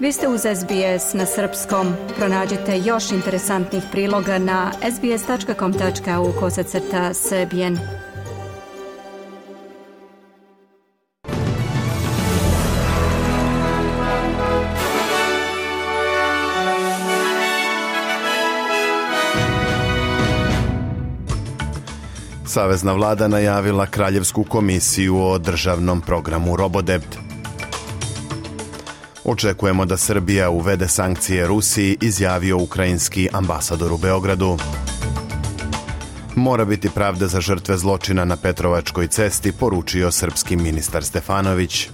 Vi ste uz SBS na srpskom. Pronađite još interesantnih priloga na sbs.com.au/srbijen. Savezna vlada najavila Kraljevsku komisiju o državnom programu Robodebt. Očekujemo da Srbija uvede sankcije Rusiji, izjavio ukrajinski ambasador u Beogradu. Mora biti pravda za žrtve zločina na Petrovačkoj cesti, poručio srpski ministar Stefanović.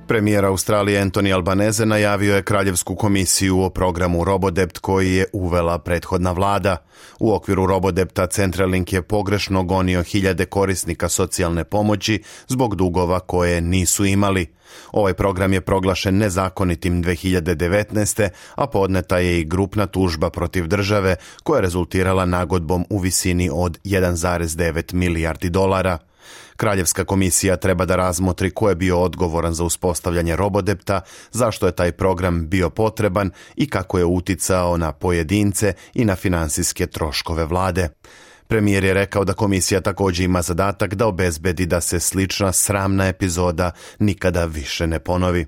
Premijer Australije Anthony Albanese najavio je Kraljevsku komisiju o programu Robodebt koji je uvela prethodna vlada. U okviru Robodebta Centrelink je pogrešno gonio hiljade korisnika socijalne pomoći zbog dugova koje nisu imali. Ovaj program je proglašen nezakonitim 2019. a podneta je i grupna tužba protiv države koja je rezultirala nagodbom u visini od 1,9 milijardi dolara. Kraljevska komisija treba da razmotri ko je bio odgovoran za uspostavljanje Robodebta, zašto je taj program bio potreban i kako je uticao na pojedince i na finansijske troškove vlade. Premijer je rekao da komisija također ima zadatak da obezbedi da se slična sramna epizoda nikada više ne ponovi.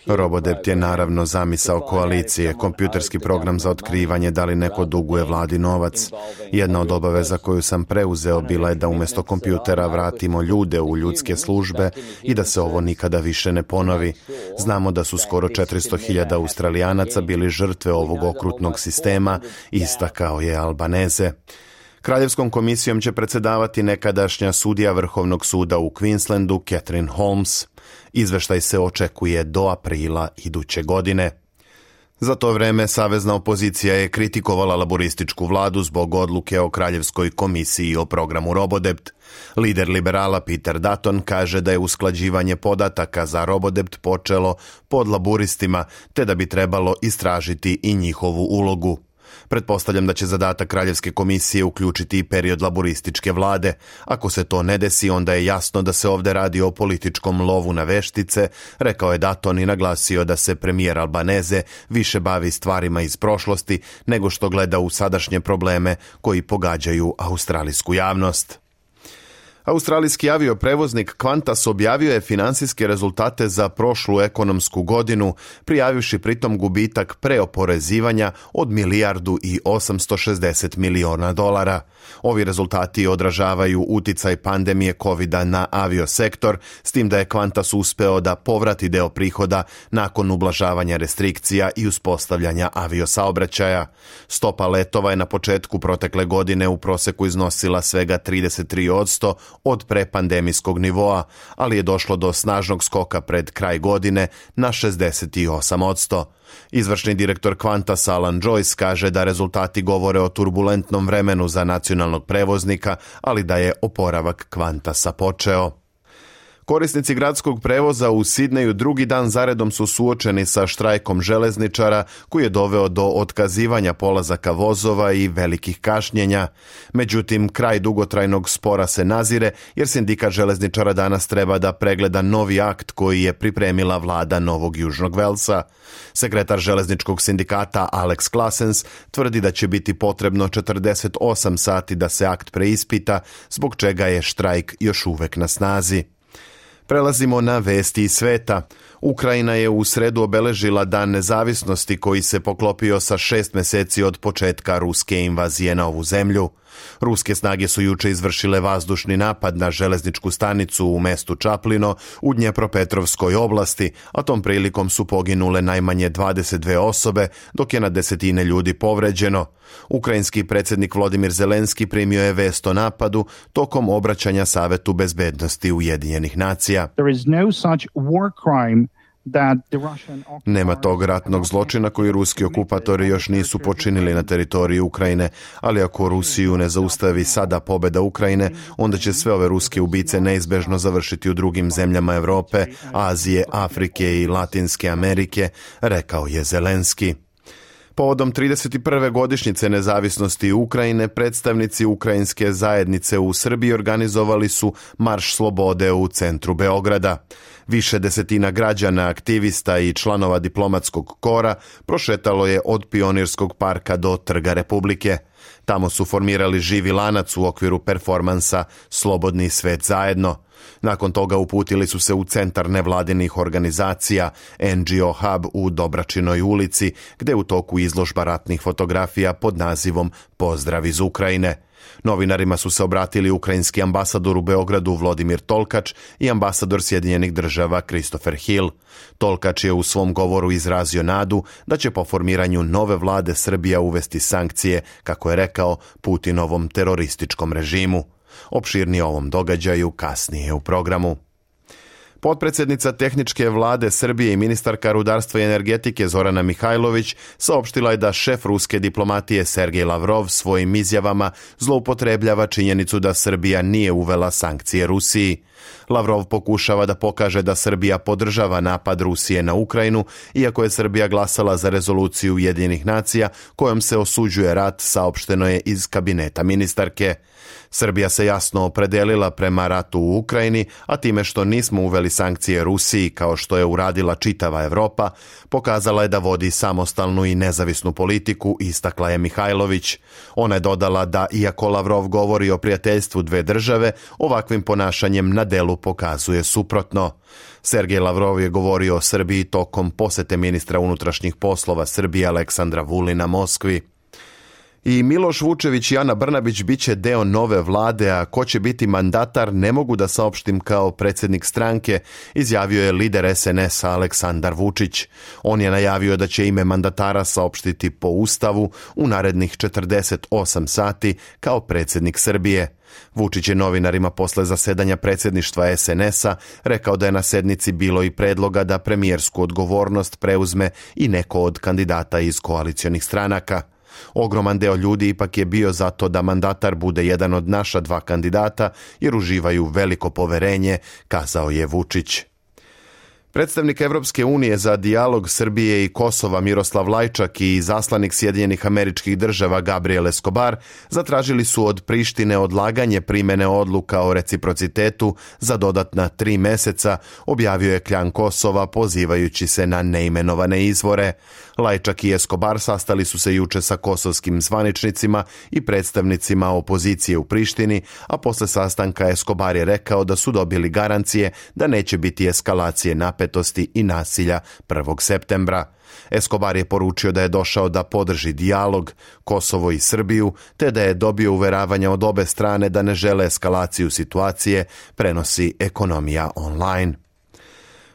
Robodebt je naravno zamisao koalicije, kompjuterski program za otkrivanje da li neko duguje vladi novac. Jedna od obaveza koju sam preuzeo bila je da umjesto kompjutera vratimo ljude u ljudske službe i da se ovo nikada više ne ponovi. Znamo da su skoro 400.000 Australijanaca bili žrtve ovog okrutnog sistema, istakao je Albanese. Kraljevskom komisijom će predsjedavati nekadašnja sudija Vrhovnog suda u Queenslandu Catherine Holmes. Izveštaj se očekuje do aprila iduće godine. Za to vreme savezna opozicija je kritikovala laborističku vladu zbog odluke o Kraljevskoj komisiji o programu Robodebt. Lider liberala Peter Dutton kaže da je usklađivanje podataka za Robodebt počelo pod laboristima, te da bi trebalo istražiti i njihovu ulogu. Pretpostavljam da će zadatak Kraljevske komisije uključiti i period laborističke vlade. Ako se to ne desi, onda je jasno da se ovdje radi o političkom lovu na veštice, rekao je Dutton i naglasio da se premijer Albanese više bavi stvarima iz prošlosti nego što gleda u sadašnje probleme koji pogađaju australijsku javnost. Australijski avioprevoznik Qantas objavio je finansijske rezultate za prošlu ekonomsku godinu, prijavivši pritom gubitak preoporezivanja od $1,860 miliona. Ovi rezultati odražavaju uticaj pandemije COVID-a na aviosektor, s tim da je Qantas uspeo da povrati deo prihoda nakon ublažavanja restrikcija i uspostavljanja aviosaobraćaja. Stopa letova je na početku protekle godine u proseku iznosila svega 33% od prepandemijskog nivoa, ali je došlo do snažnog skoka pred kraj godine na 68%. Izvršni direktor Qantas Alan Joyce kaže da rezultati govore o turbulentnom vremenu za nacionalnog prevoznika, ali da je oporavak Qantasa počeo. Korisnici gradskog prevoza u Sidneju drugi dan zaredom su suočeni sa štrajkom železničara koji je doveo do otkazivanja polazaka vozova i velikih kašnjenja. Međutim, kraj dugotrajnog spora se nazire jer sindikat železničara danas treba da pregleda novi akt koji je pripremila vlada Novog Južnog Velsa. Sekretar železničkog sindikata Alex Claessens tvrdi da će biti potrebno 48 sati da se akt preispita, zbog čega je štrajk još uvek na snazi. Prelazimo na vesti iz sveta. Ukrajina je u sredu obeležila Dan nezavisnosti koji se poklopio sa 6 mjeseci od početka ruske invazije na ovu zemlju. Ruske snage su juče izvršile vazdušni napad na železničku stanicu u mestu Čaplino u Dnjepropetrovskoj oblasti, a tom prilikom su poginule najmanje 22 osobe, dok je na desetine ljudi povređeno. Ukrajinski predsjednik Volodymyr Zelenski primio je vest o napadu tokom obraćanja Savetu bezbednosti Ujedinjenih nacija. Nema tog ratnog zločina koji ruski okupatori još nisu počinili na teritoriji Ukrajine, ali ako Rusiju ne zaustavi sada pobjeda Ukrajine, onda će sve ove ruske ubice neizbežno završiti u drugim zemljama Europe, Azije, Afrike i Latinske Amerike, rekao je Zelenski. Povodom 31. godišnjice nezavisnosti Ukrajine, predstavnici ukrajinske zajednice u Srbiji organizovali su Marš slobode u centru Beograda. Više desetina građana, aktivista i članova diplomatskog kora prošetalo je od Pionirskog parka do Trga Republike. Tamo su formirali živi lanac u okviru performansa Slobodni svet zajedno. Nakon toga uputili su se u centar nevladinih organizacija NGO Hub u Dobračinoj ulici, gde u toku izložba ratnih fotografija pod nazivom Pozdrav iz Ukrajine. Novinarima su se obratili ukrajinski ambasador u Beogradu Vladimir Tolkač i ambasador Sjedinjenih država Christopher Hill. Tolkač je u svom govoru izrazio nadu da će po formiranju nove vlade Srbija uvesti sankcije, kako je rekao, Putinovom terorističkom režimu. Opširnije o ovom događaju kasnije u programu. Potpredsjednica tehničke vlade Srbije i ministarka rudarstva i energetike Zorana Mihajlović saopštila je da šef ruske diplomatije Sergej Lavrov svojim izjavama zloupotrebljava činjenicu da Srbija nije uvela sankcije Rusiji. Lavrov pokušava da pokaže da Srbija podržava napad Rusije na Ukrajinu, iako je Srbija glasala za rezoluciju Ujedinjenih nacija kojom se osuđuje rat, saopšteno je iz kabineta ministarke. Srbija se jasno opredelila prema ratu u Ukrajini, a time što nismo uveli sankcije Rusiji kao što je uradila čitava Evropa, pokazala je da vodi samostalnu i nezavisnu politiku, istakla je Mihajlović. Ona je dodala da, iako Lavrov govori o prijateljstvu dve države, ovakvim ponašanjem na delu pokazuje suprotno. Sergej Lavrov je govorio o Srbiji tokom posete ministra unutrašnjih poslova Srbije Aleksandra Vulina Moskvi. I Miloš Vučević i Ana Brnabić bit će deo nove vlade, a ko će biti mandatar ne mogu da saopštim kao predsjednik stranke, izjavio je lider SNS-a Aleksandar Vučić. On je najavio da će ime mandatara saopštiti po Ustavu u narednih 48 sati kao predsjednik Srbije. Vučić je novinarima posle zasedanja predsjedništva SNS-a rekao da je na sednici bilo i predloga da premijersku odgovornost preuzme i neko od kandidata iz koalicionih stranaka. Ogroman deo ljudi ipak je bio za to da mandatar bude jedan od naša dva kandidata jer uživaju veliko poverenje, kazao je Vučić. Predstavnik Evropske unije za dijalog Srbije i Kosova Miroslav Lajčak i izaslanik Sjedinjenih Američkih Država Gabriel Escobar zatražili su od Prištine odlaganje primene odluka o reciprocitetu za dodatna 3 meseca, objavio je Kljan Kosova pozivajući se na neimenovane izvore. Lajčak i Escobar sastali su se juče sa kosovskim zvaničnicima i predstavnicima opozicije u Prištini, a posle sastanka Escobar je rekao da su dobili garancije da neće biti eskalacije napetosti i nasilja 1. septembra. Escobar je poručio da je došao da podrži dijalog, Kosovo i Srbiju, te da je dobio uveravanja od obe strane da ne žele eskalaciju situacije, prenosi Ekonomija online.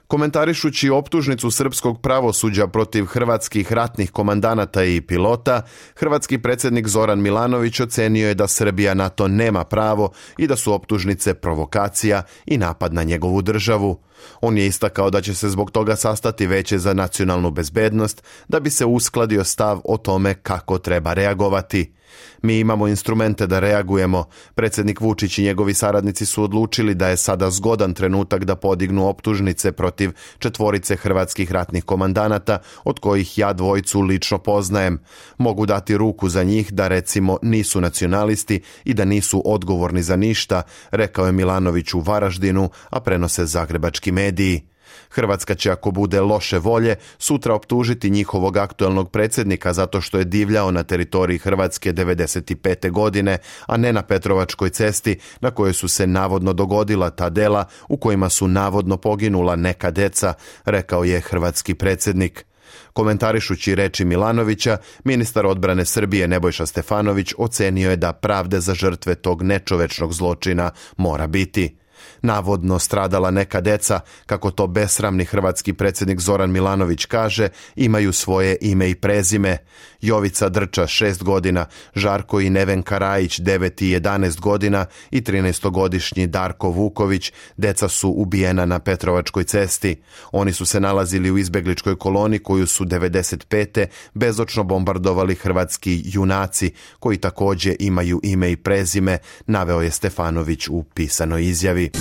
Komentarišući optužnicu srpskog pravosuđa protiv hrvatskih ratnih komandanata i pilota, hrvatski predsjednik Zoran Milanović ocenio je da Srbija na to nema pravo i da su optužnice provokacija i napad na njegovu državu. On je istakao da će se zbog toga sastati Veće za nacionalnu bezbednost da bi se uskladio stav o tome kako treba reagovati. Mi imamo instrumente da reagujemo. Predsjednik Vučić i njegovi saradnici su odlučili da je sada zgodan trenutak da podignu optužnice protiv 4 hrvatskih ratnih komandanata, od kojih ja 2 lično poznajem. Mogu dati ruku za njih da recimo nisu nacionalisti i da nisu odgovorni za ništa, rekao je Milanović u Varaždinu, a prenose zagrebački mediji. Hrvatska će, ako bude loše volje, sutra optužiti njihovog aktuelnog predsjednika zato što je divljao na teritoriji Hrvatske 1995. godine, a ne na Petrovačkoj cesti na kojoj su se navodno dogodila ta dela u kojima su navodno poginula neka deca, rekao je hrvatski predsjednik. Komentarišući reči Milanovića, ministar odbrane Srbije Nebojša Stefanović ocenio je da pravde za žrtve tog nečovečnog zločina mora biti. Navodno stradala neka deca, kako to besramni hrvatski predsjednik Zoran Milanović kaže, imaju svoje ime i prezime. Jovica Drča 6 godina, Žarko i Nevenka Rajić 9 i 11 godina i 13-godišnji Darko Vuković, deca su ubijena na Petrovačkoj cesti. Oni su se nalazili u izbegličkoj koloni koju su 95. bezočno bombardovali hrvatski junaci, koji također imaju ime i prezime, naveo je Stefanović u pisanoj izjavi.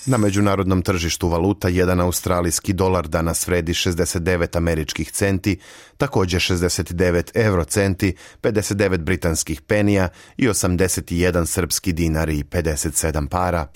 Na međunarodnom tržištu valuta jedan australijski dolar danas vredi 69 američkih centi, također 69 eurocenti, 59 britanskih penija i 81 srpski dinar i 57 para.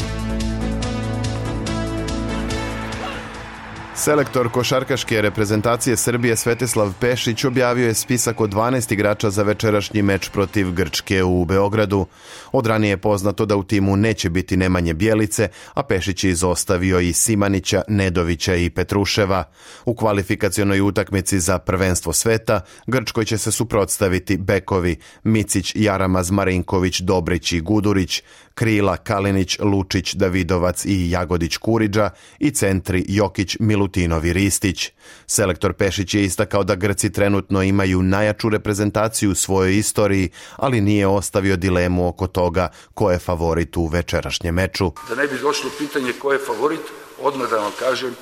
Selektor košarkaške reprezentacije Srbije Svetislav Pešić objavio je spisak od 12 igrača za večerašnji meč protiv Grčke u Beogradu. Od ranije je poznato da u timu neće biti Nemanje Bjelice, a Pešić je izostavio i Simanića, Nedovića i Petruševa. U kvalifikacionoj utakmici za prvenstvo sveta Grčkoj će se suprotstaviti bekovi Micić, Jaramaz, Marinković, Dobrić i Gudurić, krila Kalinić, Lučić, Davidovac i Jagodić Kuriđa i centri Jokić, Milutinov i Ristić. Selektor Pešić je istakao da Grci trenutno imaju najjaču reprezentaciju u svojoj istoriji, ali nije ostavio dilemu oko toga ko je favorit u večerašnjem meču. Da ne bi došlo pitanje ko je favorit, odmah da vam kažem,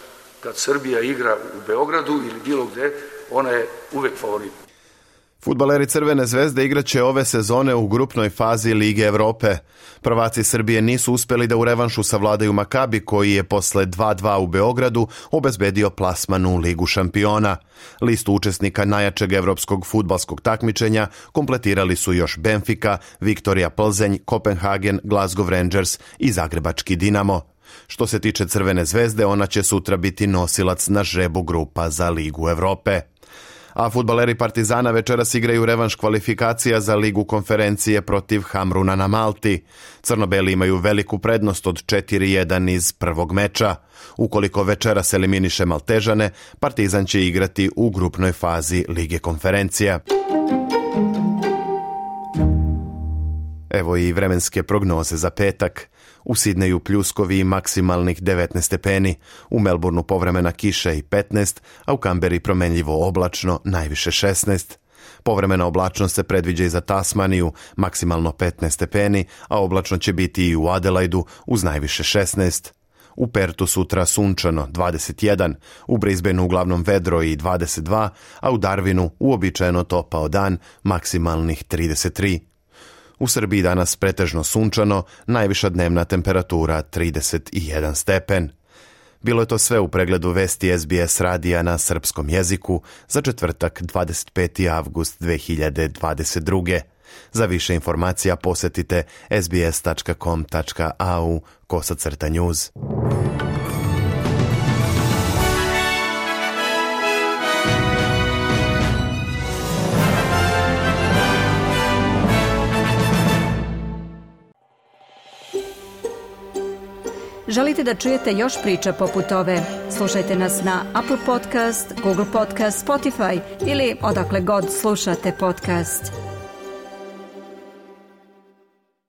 kad Srbija igra u Beogradu ili bilo gde, ona je uvek favorit. Fudbaleri Crvene zvezde igraće ove sezone u grupnoj fazi Lige Evrope. Prvaci Srbije nisu uspjeli da u revanšu savladaju Makabi, koji je posle 2-2 u Beogradu obezbedio plasman u Ligu šampiona. Listu učesnika najjačeg evropskog fudbalskog takmičenja kompletirali su još Benfica, Viktorija Plzeň, Kopenhagen, Glasgow Rangers i Zagrebački Dinamo. Što se tiče Crvene zvezde, ona će sutra biti nosilac na žrebu grupa za Ligu Evrope. A fudbaleri Partizana večeras igraju revanš kvalifikacija za Ligu konferencije protiv Hamruna na Malti. Crnobeli imaju veliku prednost od 4-1 iz prvog meča. Ukoliko večeras eliminiše Maltežane, Partizan će igrati u grupnoj fazi Lige konferencija. Evo i vremenske prognoze za petak. U Sidneju pljuskovi i maksimalnih 19 stepeni, u Melbourneu povremena kiša i 15, a u Kamberi promenljivo oblačno, najviše 16. Povremena oblačnost se predviđa i za Tasmaniju, maksimalno 15 stepeni, a oblačno će biti i u Adelaidu uz najviše 16. U Pertu sutra sunčano 21, u Brisbaneu uglavnom vedro i 22, a u Darwinu uobičajeno topao dan, maksimalnih 33. U Srbiji danas pretežno sunčano, najviša dnevna temperatura 31 stepen. Bilo je to sve u pregledu vesti SBS radija na srpskom jeziku za četvrtak 25. avgust 2022. Za više informacija posjetite sbs.com.au/news. Želite da čujete još priča poput ove? Slušajte nas na Apple Podcast, Google Podcast, Spotify ili odakle god slušate podcast.